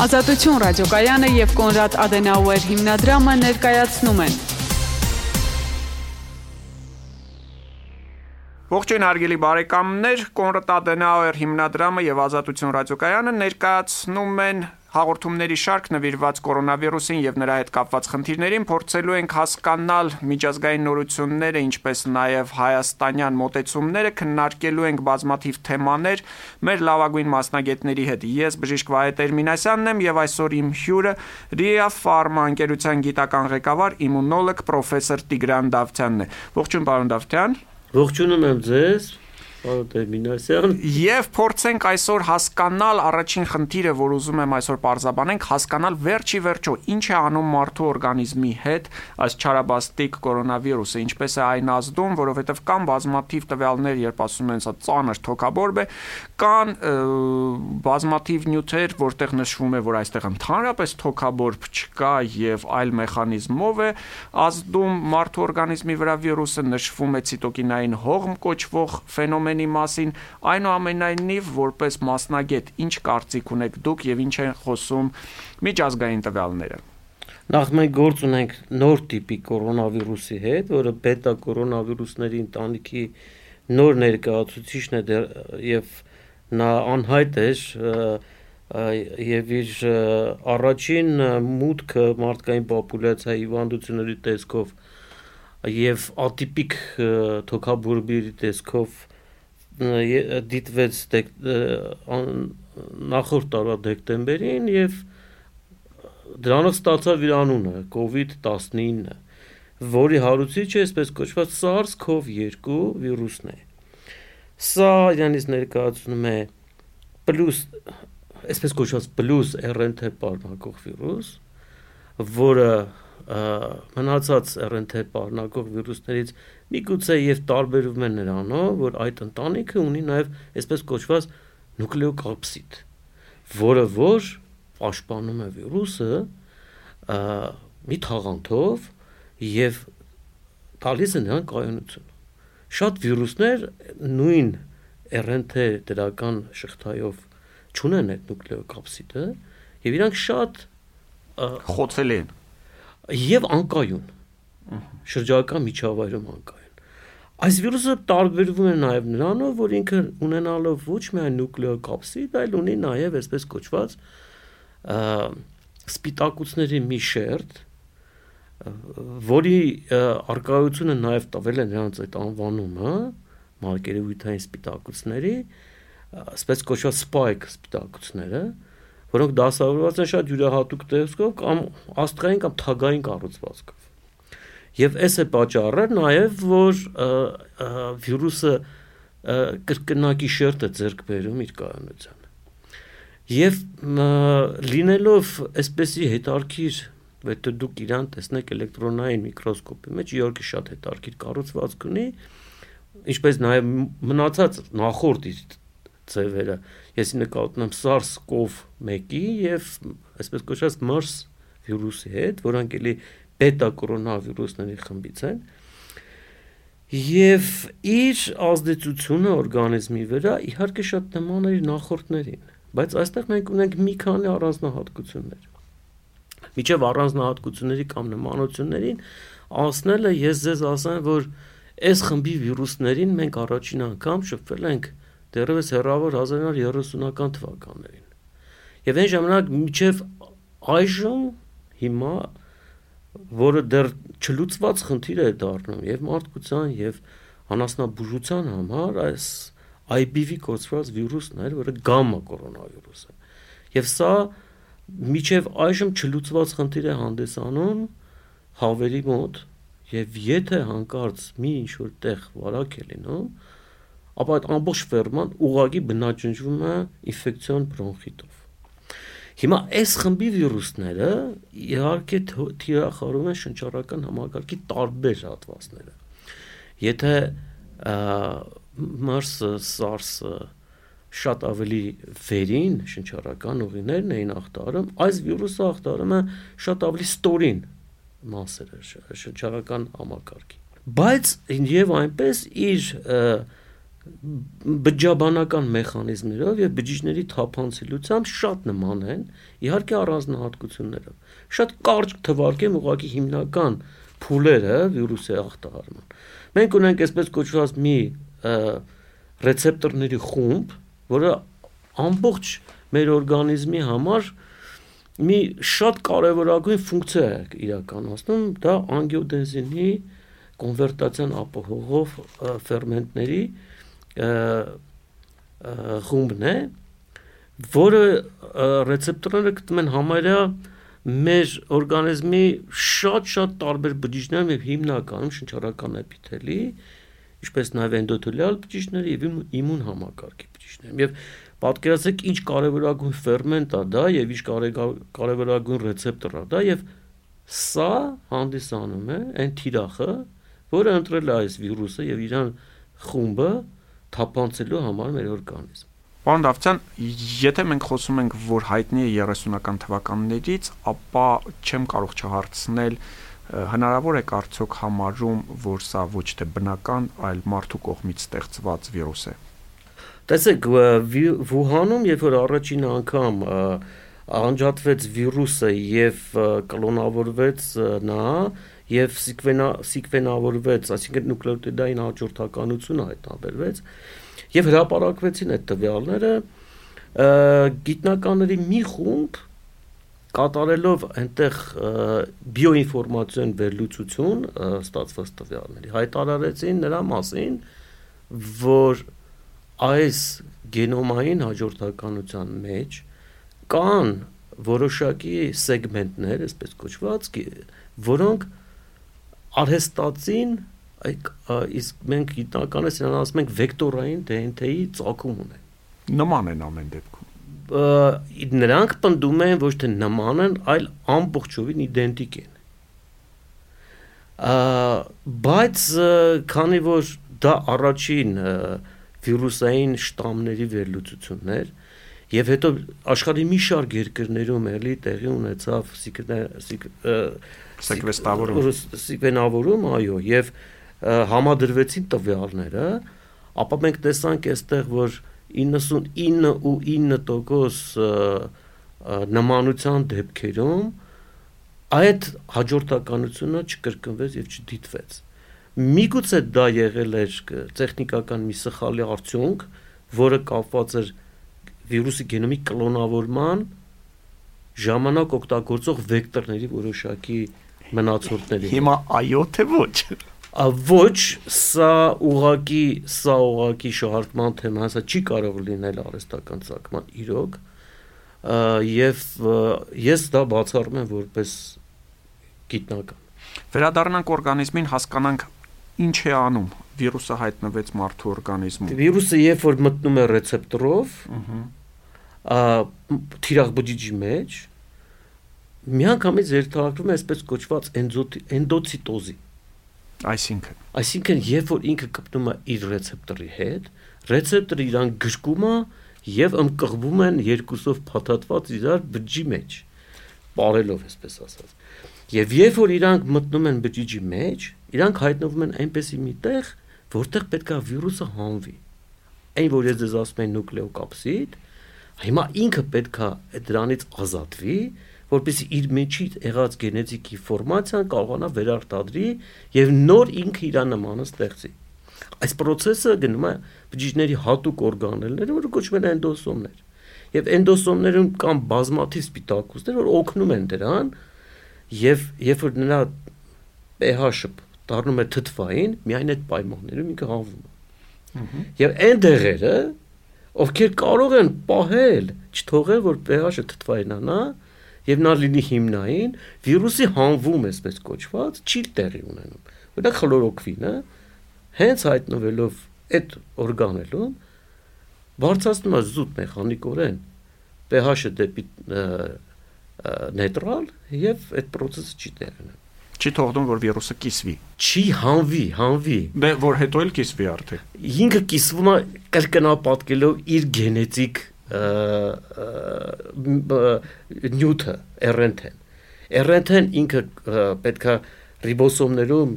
Ազատություն ռադիոկայանը և Կոնրադ Ադենաուեր հիմնադրամը ներկայացնում են։ Ողջույն հարգելի բարեկամներ, Կոնրադ Ադենաուեր հիմնադրամը և Ազատություն ռադիոկայանը ներկայացնում են հաղորդումների շարք նվիրված կորոնավիրուսին և նրա հետ կապված խնդիրներին, փորձելու ենք հասկանալ միջազգային նորությունները, ինչպես նաև հայաստանյան մոտեցումները, քննարկելու ենք բազմաթիվ թեմաներ մեր լավագույն մասնագետների հետ։ Ես բժիշկ Վահե Տերմինասյանն եմ և այսօր իմ հյուրը Ria Pharma ընկերության գիտական ղեկավար իմունոլոգ պրոֆեսոր Տիգրան Դավթյանն է։ Ողջույն պարոն Դավթյան։ Ողջունում եմ ձեզ, պարոն Տերմինասյան։ Եվ փորձենք այսօր հասկանալ առաջին խնդիրը, որ ուզում եմ այսօր պարզաբանենք, հասկանալ վերջի վերջո ինչ է անում մարդու օրգանիզմի հետ այս չարաբաստիկ կորոնավիրուսը, ինչպես է այն ազդում, որովհետև կան բազմաթիվ տվյալներ, երբ ասում են սա ծանր թոքաբորբ է, կան բազմաթիվ նյութեր, որտեղ նշվում է, որ այստեղ ընդհանրապես թոքաբորբ չկա եւ այլ մեխանիզմով է ազդում մարդու օրգանիզմի վրա վիրուսը, նշվում է ցիտոկինային հողմ կոչվող ֆենոմենի մասին, այնուամենայնիվ որպես մասնագետ ինչ կարծիք ունեք դուք եւ ինչ են խոսում միջազգային տվյալները։ Նախ մենք գործ ունենք նոր տիպի կորոնավիրուսի հետ, որը բետա կորոնավիրուսների ընտանիքի նոր ներկայացուցիչն է եւ նա անհայտ է եւ իր առաջին մուտքը մարդկային պոպուլյացիայի հիվանդությունների տեսքով եւ ատիպիկ թոքաբորբի տեսքով դիտվեց նախորդ տարվա դեկտեմբերին եւ դրանով ստացավ իր անունը COVID-19, որի հարուցիչը այսպես կոչված SARS-CoV-2 վիրուսն է։ Սա իրանից ներկայացնում է այսպես կոչված պլյուս RNT պարունակող վիրուս, որը մնացած RNT պարունակող վիրուսներից միգուցե եւ տարբերվում է նրանով, որ այդ ընտանիքը ունի նաեւ այսպես կոչված նուկլեոկապսիդ, որը որ պաշտպանում է վիրուսը մի թաղանթով եւ տալիս է նրան կայունություն։ Շատ վիրուսներ նույն RNT դրական շղթայով չունեն այդ նուկլեոկապսիդը եւ իրանք շատ խոցելի են եւ անկայուն շրջակա միջավայրում անկայուն։ Այս վիրուսը տարբերվում է նաեւ նրանով, որ ինքը ունենալով ոչ միայն նուկլեոկապսիդ, այլ ունի նաեւ այսպես կոչված սպիտակուցների մի շերտ, որի արկայությունը նաեւ տվել է նրանց այդ անվանումը մարգերեվութային սպիտակուցների, այսպես կոչված spike սպիտակուցները, որոնք դասավորված են շատ յուրահատուկ տեսքով կամ աստղային կամ թագային կառուցվածքով։ Եվ այս է պատճառը նաև, որ վիրուսը կրկնակի շերտ է ձեռք բերում իր կայունությանը։ Եվ լինելով այսպեսի հետարքիր, եթե դուք իրան տեսնեք էլեկտրոնային միկրոսկոպի մեջ, իհարկե շատ հետարքիր կառուցվածք ունի, ինչպես նաև մնացած նախորդ ձևերը, ես նկատում եմ SARS-CoV-1-ի եւ այսպես կոչված MERS վիրուսի հետ, որոնք էլի բետա կորոնավիրուսների խմբից են, եւ իր ազդեցությունը օրգանիզմի վրա իհարկե շատ նման է իր նախորդներին, բայց այստեղ մենք ունենք մի քանի առանձնահատկություններ։ Միջև առանձնահատկությունների կամ նմանություններին ասնելը ես ձեզ ասեմ, որ այս խմբի վիրուսներին մենք առաջին անգամ շփվել ենք դեռևս հեռավոր 1930-ական թվականներին։ Եվ այն ժամանակ միջև այժմ հիմա, որը դեռ չլուծված խնդիր է դառնում եւ մարդկության եւ անասնաբուժության համար, այս IBV կոչված վիրուսն է, որը գամմա կորոնավիրուս է։ Եվ սա միջև այժմ չլուծված խնդիր է հանդիսանում հավերի մոտ եւ եթե հանկարծ մի ինչ-որ տեղ վարակ է լինում, ապա այդ ամբողջ ֆերման ուղղակի բնաջնջվում է ինֆեկցիոն բրոնխիտով։ Հիմա այս խմբի վիրուսները իհարկե թիրախավորում են շնչառական համակարգի տարբեր հատվածները։ Եթե MERS-ը, SARS-ը շատ ավելի վերին շնչառական ուղիներն էին ախտարում, այս վիրուսը ախտարում է շատ ավելի ստորին մասերը շնչառական համակարգի։ Բայց եւ այնպես իր բջջաբանական մեխանիզմներով եւ բջիջների թափանցելությամբ շատ նման են, իհարկե առանձնահատկություններով։ Շատ կարճ թվարկեմ ուղղակի հիմնական փուլերը վիրուսի ախտահարման։ Մենք ունենք այսպես կոչված մի ռեցեպտորների խումբ, որը ամբողջ մեր օրգանիզմի համար մի շատ կարևորագույն ֆունկցիա է իրականացնում, դա անգիոդենզինի կոնվերտացիան ապահովող ֆերմենտների խումբն է, որը ռեցեպտորները գտնում են համարյա մեր օրգանիզմի շատ տարբեր բջիջներում եւ հիմնականում շնչառական էպիթելի, ինչպես նաեւ էնդոթելիալ բջիջների եւ իմուն համակարգի բջիջներում։ Եվ պատկերացրեք ինչ կարևորագույն ֆերմենտ է դա եւ ինչ կարևորագույն ռեցեպտոր է դա եւ սա հանդիսանում է այն թիրախը, որը ընտրել է այս վիրուսը եւ իրան խումբը թափանցելու համար մեր օրգանիզմ։ Պարոն Դավթյան, եթե մենք խոսում ենք, որ հայտնի է 30-ական թվականներից, ապա չեմ կարող չհարցնել, հնարավոր է արդյոք համարում, որ սա ոչ թե բնական, այլ մարդու կողմից ստեղծված վիրուս է։ Տեսեք, Վուհանում, երբ որ առաջին անգամ անջատվեց վիրուսը եւ կլոնավորվեց նա եւ սիկվենավորվեց, այսինքն նուկլեոտիդային հաջորդականությունը հայտնաբերվեց եւ հրապարակվեցին այդ տվյալները, գիտնականների մի խումբ կատարելով այնտեղ բիոինֆորմացիոն վերլուծություն ստացված տվյալների հայտարարեցին նրա մասին, որ այս գենոմային հաջորդականության մեջ կան որոշակի սեգմենտներ, այսպես կոչված, որոնք արհեստածին, իսկ մենք գիտնականից նրան ասում ենք վեկտորային DNT-ի ծագում ունեն։ Նման են ամեն դեպքում։ Նրանք պնդում են ոչ թե նման են, այլ ամբողջովին իդենտիկ են։ Բայց քանի որ դա առաջին վիրուսային շտամների վերլուծություններ եւ հետո աշխարհի մի շարք երկրներում էլի տեղի ունեցավ սիկվենավորում, այո, եւ համադրվեցին տվյալները, ապա մենք տեսանք այստեղ, որ 99.9% նմանության դեպքերում այդ հաջորդականությունը չկրկնվեց եւ չդիտվեց։ Միգուցե դա եղել էր տեխնիկական մի սխալի արդյունք, որը կապված էր վիրուսի գենոմի կլոնավորման ժամանակ օգտագործող վեկտորների որոշակի մնացորդների։ Հիմա այո թե ոչ։ Ոչ, սա ուղղակի շահարկման թեմա, սա չի կարող լինել արհեստական ծագման իրոք, եւ ես դա բացառում եմ որպես գիտնական։ Վերադառնանք օրգանիզմին, հասկանանք ինչ է անում։ Վիրուսը հայտնվեց մարդու օրգանիզմում։ Վիրուսը երբ որ մտնում է ռեցեպտորով, թիրախ բջիջի մեջ, միանգամից երթարկվում է այսպես կոչված էնդոցիտոզի։ Այսինքն երբ որ ինքը կպնում է իր ռեցեպտորի հետ, ռեցեպտորը իրան գրկում է եւ ըմկղվում են երկուսով փաթաթված իրար բջիջի մեջ, պարելով այսպես ասած։ Եվ երբ որ իրանք մտնում են բջիջի մեջ, իրանք հայտնվում են այնպեսի մի տեղ, որտեղ պետք է վիրուսը հանվի։ Այն որ ես ձեզ ասում եմ նուկլեոկապսիդ, հիմա ինքը պետք է դրանից ազատվի, որպեսզի իր մեջի եղած գենետիկ ինֆորմացիան կարողանա վերարտադրի եւ նոր ինքը իր նմանը ստեղծի։ Այս process-ը գնում է բջիջների հատուկ օրգանելները, որը կոչվում են էնդոսոմներ։ Եվ էնդոսոմներում կան բազմաթիվ սպիտակուցներ, որ օգնում են դրան, եւ երբ որ նրա pH-ը դառնում է թթվային, միայն այդ պայմաններում ինքը հանվում է։ Եվ այն դեղերը, ովքեր կարող են պահել, չթողել, որ pH-ը թթվայինանա, եւ նա լինի հիմնային, վիրուսի հանվում այսպես կոչված չի տեղի ունենում։ Որտեղ խլորոքվինը հենց հայտնվելով այդ օրգանելում բարձրացնում է զուտ մեխանիկորեն pH-ը դեպի նեյտրալ եւ այդ process-ը չի տեղի ունենում։ Չի թողնում, որ վիրուսը կիսվի։ Չի հանվի։ Դե որ հետո էլ կիսվի արդեն։ Ինքը կիսվում է կրկնապատկելով իր գենետիկ նյութը RNT-ն ինքը պետքա ռիբոսոմներում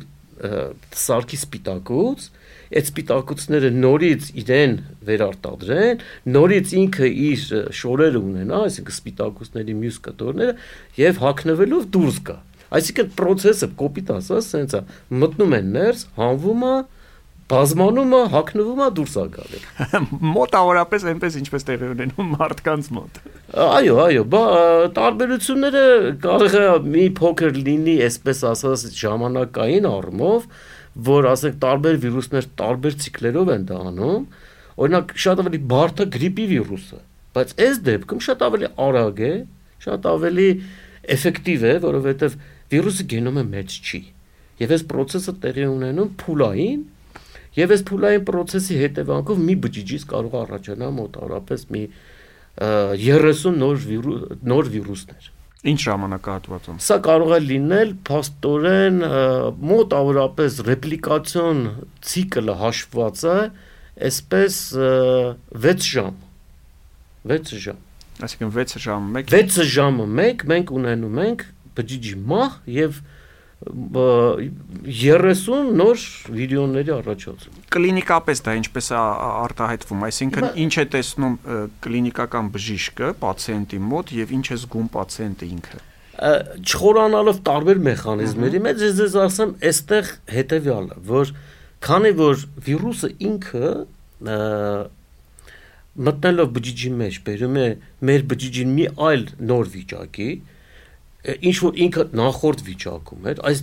սարքի սպիտակուց այդ սպիտակուցները նորից իրեն վերարտադրեն, նորից ինքը իր շորերը ունենա, այսինքն սպիտակուցների մյուս կտորները եւ հագնվելով դուրս գա։ Այսինքն process-ը կոպիտ ասած sense է մտնում են ներս, հանվում է, բազմանում է, հագնվում է, դուրս է գալի։ Մոտավորապես այնպես ինչպես տեղի ունենում մարդկանց մոտ։ Այո, տարբերությունները կարող է մի փոքր լինի, այսպես ասած, ժամանակային առումով, որ ասենք տարբեր վիրուսներ տարբեր ցիկլերով են դա անում, օրինակ շատ ավելի բարդ է գրիպի վիրուսը, բայց այս դեպքում շատ ավելի արագ է, շատ ավելի էֆեկտիվ է, որովհետև վիրուսը գենոմը մեծ չի։ Եվ այս process-ը տեղի ունենում փուլային, եւ այս փուլային process-ի հետևանքով մի բջիջից կարող է առաջանալ մոտավորապես մի 30 նոր վիրուսներ։ Ինչ ժամանակահատվածում։ Սա կարող է լինել փաստորեն մոտավորապես ռեպլիկացիոն ցիկլը հաշվված է այսպես 6 ժամ։ 6 ժամ։ Այսինքն 6 ժամը 1 6 ժամը 1 մենք ունենում ենք բջիջի մահ եւ 30 նոր վիրիոնների առաջացում։ Կլինիկապես դա ինչպես է արտահայտվում, այսինքն ինչ է տեսնում կլինիկական բժիշկը պացիենտի մոտ եւ ինչ է զգում պացիենտը ինքը։ Չխորանալով տարբեր մեխանիզմների մեջ ես ասեմ, այստեղ հետեւյալը, որ քանի որ վիրուսը ինքը մտնելով բջիջի մեջ բերում է մեր բջիջին մի այլ նոր վիճակի, ինչ որ ինքը նախորդ վիճակում էր, այս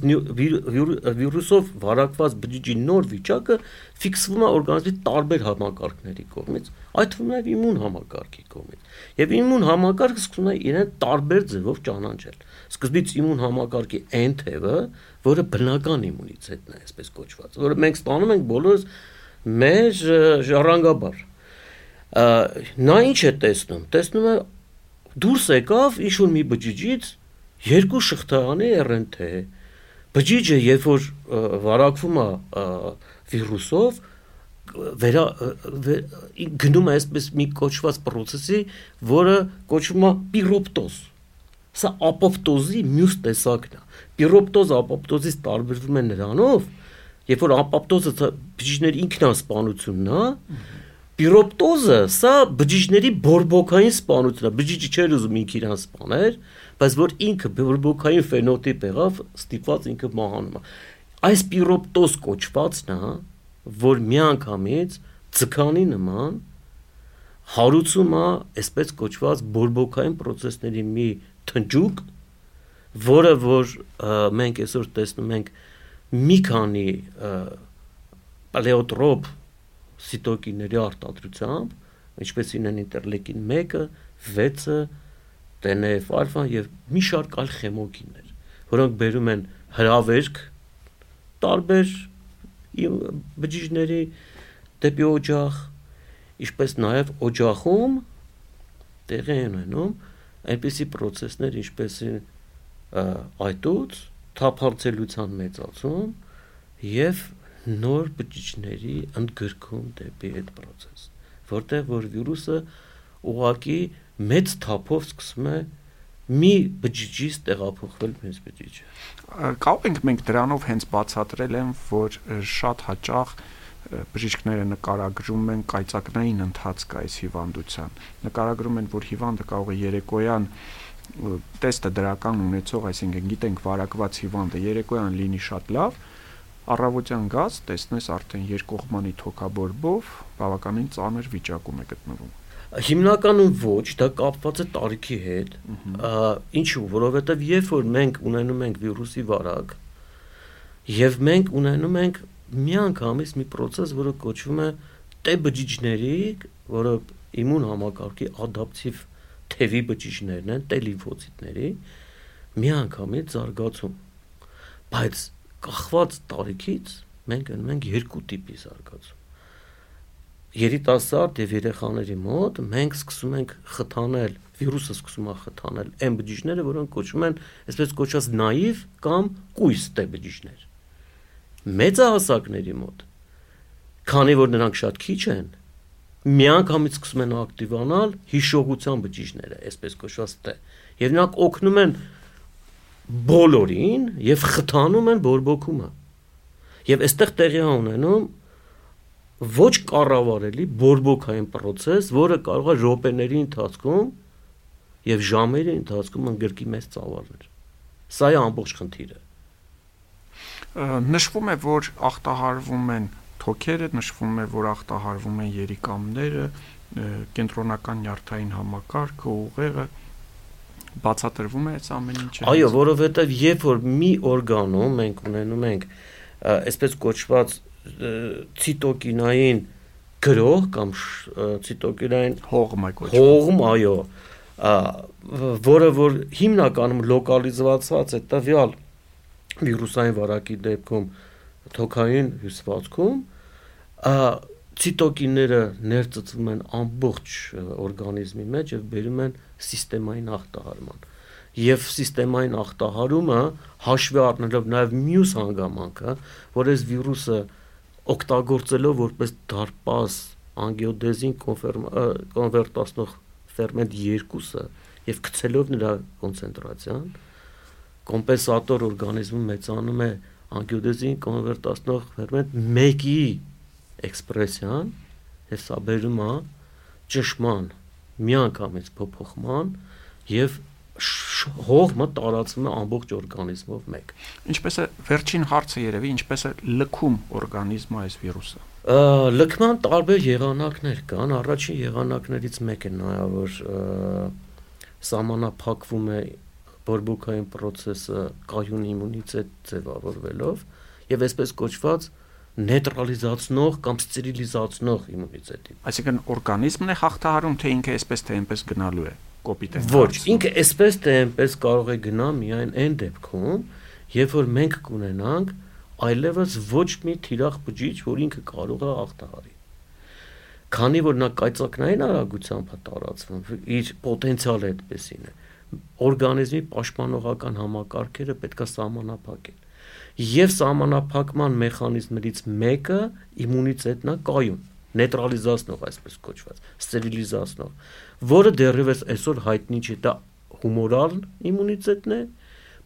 վիրուսով վարակված բջիջի նոր վիճակը ֆիքսվում է օրգանիզմի տարբեր համակարգների կողմից, այդ թվում նաև իմուն համակարգի կողմից։ Եվ իմուն համակարգը սկսում է իրեն տարբեր ձևով ճանաչել։ Սկզբից իմուն համակարգի N թևը, որը բնական իմունիտետն է, այսպես կոչված, որը մենք ստանում ենք բոլորս մեր ժառանգաբար։ Նա ինչ է տեսնում։ Տեսնում է դուրս եկավ ինչ որ մի բջիջից երկու շղթայանի RNA բջիջը երբ որ վարակվում է վիրուսով գնում է այսպես մի կոչված process-ի, որը կոչվում է պիրոպտոզ։ Սա ապոպտոզի մյուս տեսակն է։ Պիրոպտոզը ապոպտոզից տարբերվում է նրանով, երբ որ ապոպտոզը բջիջների ինքնասպանությունն է, պիրոպտոզը սա բջիջների բորբոքային սպանությունն է։ Բջիջը չէր ուզում ինքը իրան սպաներ, բայց որ ինքը բորբոքային ֆենոտիպ եղավ, ստիպված ինքը մահանում է։ Այս պիրոպտոզ կոչվածն է, որ միանգամից ձկանի նման հարուցում է այսպես կոչված բորբոքային process-ների մի թնջուկ, որը որ մենք այսօր տեսնում ենք մի քանի պալեոտրոպ սիտոկինների արտադրությամբ, ինչպես ինեն ինտերլեյկին 1-ը, 6-ը, TNF-ալֆան եւ մի շարք այլ խեմոկիններ, որոնք բերում են հրավերք տարբեր բջիջների դեպի օջախ, ինչպես նաեւ օջախում տեղի են ունենում այնպիսի process-ներ, ինչպես այտուց, թափանցելիության մեծացում եւ նոր բջիջների ընդգրկում դեպի այդ process, որտեղ որ վիրուսը ուղղակի մեծ թափով սկսում է մի բջիջից տեղափոխվել մյուս բջիջը։ Կարող ենք մենք դրանով հենց բացատրել են, որ շատ հաճախ բժիշկները նկարագրում են կայծակնային ընթացք այս հիվանդության։ Նկարագրում են, որ հիվանդը կարող է երեկոյան տեստը դրական ունեցող, այսինքն գիտենք վարակված հիվանդը երեկոյան լինի շատ լավ, առավոտյան գաց տեսնես արդեն երկկողմանի թոքաբորբով բավականին ծանր վիճակում է գտնվում։ Հիմնականում ոչ, դա կապված է տարիքի հետ, ինչու, որովհետև երբ որ մենք ունենում ենք վիրուսի վարակ, եւ մենք ունենում ենք միանգամից մի process, որը կոչվում է T բջիջների, որը իմուն համակարգի ադապտիվ թևի բջիջներն են, T լիմֆոցիտների, միանգամից զարգացում։ Բայց կախված տարիքից մենք ունենք ենք երկու տիպի զարգացում։ Երիտասարդ եւ երեխաների մոտ մենք սկսում ենք խթանել, վիրուսը սկսում է խթանել այն բջիջները, որոնք կոչվում են այսպես կոչված նաիվ կամ կույս T բջիջներ։ Մեծահասակների մոտ, քանի որ նրանք շատ քիչ են, միանգամից սկսում են ակտիվանալ հիշողության բջիջները, այսպես կոչված T, եւ նրանք օգնում են բոլորին եւ խթանում են բորբոքումը։ Եվ այստեղ տեղի է ունենում ոչ կառավարելի բորբոքային process, որը կարող է րոպեների ընթացքում եւ ժամերի ընթացքում ընդգրկի մեծ ծավալներ։ Սա է ամբողջ խնդիրը։ Նշվում է, որ ախտահարվում են թոքերը, նշվում է, որ ախտահարվում են երիկամները, կենտրոնական նյարդային համակարգը, ուղեղը, բացատրվում է այս ամեն ինչը։ Այո, որովհետեւ երբ որ մի օրգանում մենք ունենում ենք այսպես կոչված ցիտոկինային գրող կամ ցիտոկինային հողմ, այո, որը որ հիմնականում լոկալիզված է տվյալ վիրուսային վարակի դեպքում թոքային հյուսվածքում, ցիտոկինները ներծծվում են ամբողջ օրգանիզմի մեջ եւ բերում են սիստեմային ախտահարման։ Եվ սիստեմային ախտահարումը հաշվի առնելով նաեւ մյուս հանգամանքը, որ այս վիրուսը օգտագործելով որպես դարպաս անգիոդեզին կոնվերտացնող ֆերմենտ 2-ը եւ գցելով նրա կոնցենտրացիան, կոմպենսատոր օրգանիզմում մեծանում է անգիոդեզին կոնվերտացնող ֆերմենտ 1-ի էքսպրեսիան, եւ սա բերում է ճշմարտ միանգամից փոփոխման եւ հողմը տարածվում է ամբողջ օրգանիզմով մեկ։ Ինչպես է վերջին հարցը երևի, ինչպես է լքում օրգանիզմը այս վիրուսը։ Լքման տարբեր եղանակներ կան, առաջին եղանակներից մեկը նա է, որ սահմանափակվում է բորբոքային process-ը կայուն իմունիտետ ձևավորվելով եւ այսպես կոչված նեյտրալիզացնող կամ ստերիլիզացնող իմունիտետի։ Այսինքն օրգանիզմն է հաղթահարում, թե ինքը այսպես թե այնպես գնալու է, կոպիտ է։ Ոչ, ինքը այսպես թե այնպես կարող է գնա միայն այն դեպքում, երբ որ մենք կունենանք այլևս ոչ մի թիրախ բջիջ, որ ինքը կարող է հաղթահարի։ Քանի որ նա կայծակնային արագությամբ է տարածվում, իր պոտենցիալը այդպեսին է, օրգանիզմի պաշտպանողական համակարգերը պետք է սահմանափակեն։ Եվ սահմանափակման մեխանիզմներից մեկը իմունիտետն է կայուն, նեյտրալիզացնող, այսպես կոչված, ստերիլիզացնող, որը դեռևս այսօր հայտնի չէ, դա հումորալ իմունիտետն է,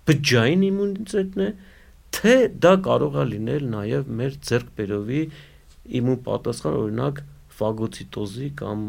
բջջային իմունիտետն է, թե դա կարող է լինել նաև մեր ձեռքբերովի իմուն պատասխան, օրինակ ֆագոցիտոզի կամ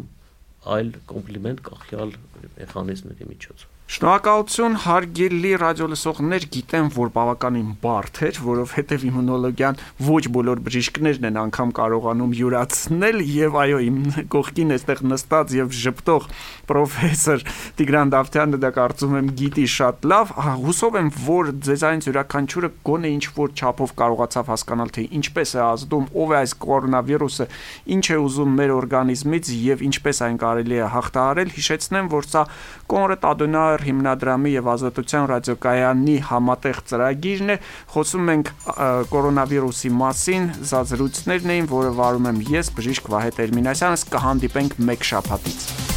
այլ կոմպլիմենտ կախյալ մեխանիզմների միջոցով։ Շնորհակալություն, հարգելի ռադիոլսողներ, գիտեմ, որ բավականին բարդ էր, որովհետև իմունոլոգիան ոչ բոլոր բժիշկներն են անգամ կարողանում յուրացնել, եւ այո, իմ կողքին այստեղ նստած եւ ժպտող պրոֆեսոր Տիգրան Դավթյանը դա կարծում եմ գիտի շատ լավ, հուսով եմ, որ ձեզանից յուրաքանչյուրը գոնե ինչ որ չափով կարողացավ հասկանալ, թե ինչպես է ազդում, ով է այս կորոնավիրուսը, ինչ է ուզում մեր օրգանիզմից եւ ինչպես այն կարելի է հաղթահարել։ Հիշեցնեմ, որ սա Կոնրադ Ադենաուեր հիմնադրամի եւ Ազատության ռադիոկայանի համատեղ ծրագիրն է, խոսում ենք կորոնավիրուսի մասին, զրույցներն էին, որը վարում եմ ես, բժիշկ Վահե Տերմինասյանը, կհանդիպենք մեկ շաբաթից։